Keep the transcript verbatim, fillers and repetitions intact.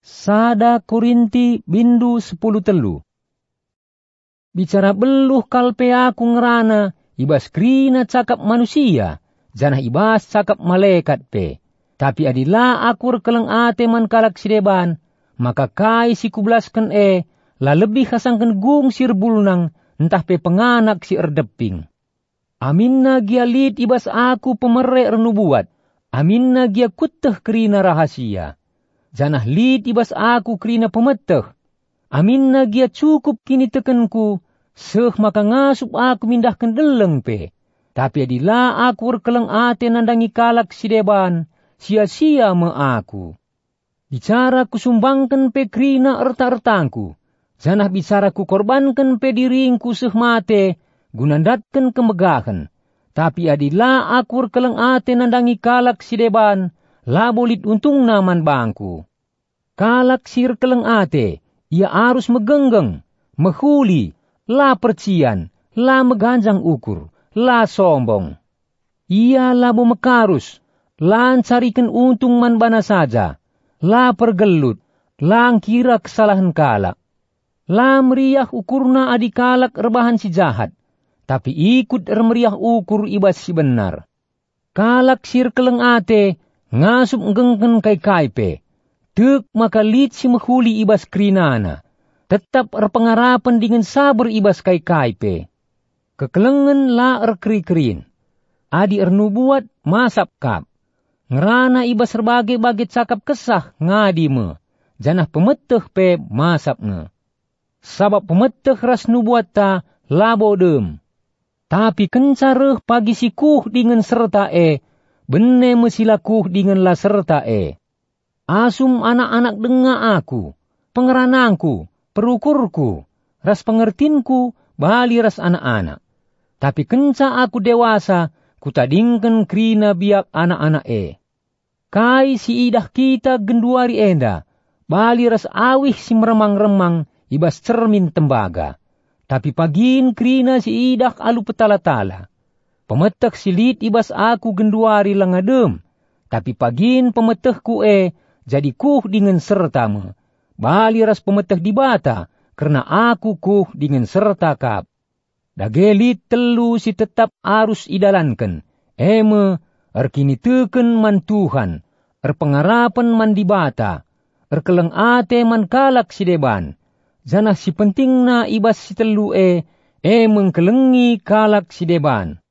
Sada Korinti bindu sepuluh telu. Bicara beluh kal pe aku ngerana i bas kerina cakap manusia, janah i bas cakap malekat pe. Tapi adi la aku erkeleng ate man kalak si deban, maka kai si kubelasken e la lebih asangken gung si erbulnang ntah pe penganak si erdeping. Aminna gia lit i bas aku pemere ernubuat, aminna gia kueteh kerina rahasia, janah lit i bas aku kerina pemeteh, aminna gia cukup kinitekenku seh maka ngasup aku mindahken deleng pe. Tapi adi la aku erkeleng ate nandangi kalak si deban, sia-sia me aku. Bicara kusumbangken pe kerina erta-ertangku, janah bicara kukorbanken pe diringku seh mate guna ndatken kemegahen. Tapi adi la aku erkeleng ate nandangi kalak si deban, labo lit untungna man bangku. Kalak si erkeleng ate, ia arus megenggeng, mehuli, la percian, la meganjang ukur, la sombong. Ia labo mekarus, la ncariken untung man bana saja, la pergelut, la ngkira kesalahen kalak. La meriah ukurna adi kalak erbahan si jahat, tapi ikut ermeriah ukur i bas si benar. Kalak si erkeleng ate ngasup nggengken kai-kai pe. Tek maka lit si mehuli i bas kerinana, tetap erpengarapen dingen saber i bas kai-kai pe. Kekelengen la erkeri-kerin. Adi ernubuat, masap kap. Ngerana i bas erbage-bage cakap kesah ngadi me, janah pemeteh pe masap nge. Sabap pemeteh ras nubuatta labo dem. Tapi kenca reh pagi si kuh dingen serta e, bene me si la kuh dingen la serta e. Asum anak-anak denga aku, pengeranangku, perukurku, ras pengertinku bali ras anak-anak. Tapi kenca aku dewasa, kutadingken kerina biak anak-anak e. Kai si idah kita genduari enda bali ras awih si meremang-remang i bas cermin tembaga. Tapi pagin kerina si idah alu petala-tala. Pemeteh si lit i bas aku genduari langa dem, tapi pagin pemetehku e jadi kuh dingen serta me, bali ras pemeteh Dibata kerna aku kuh dingen serta kap. Dage lit telu si tetap arus idalanken, e me, erkiniteken man Tuhan, erpengarapen man Dibata, erkeleng ate man kalak si deban, janah si pentingna i bas si telu e, e me ngkelengi kalak si deban.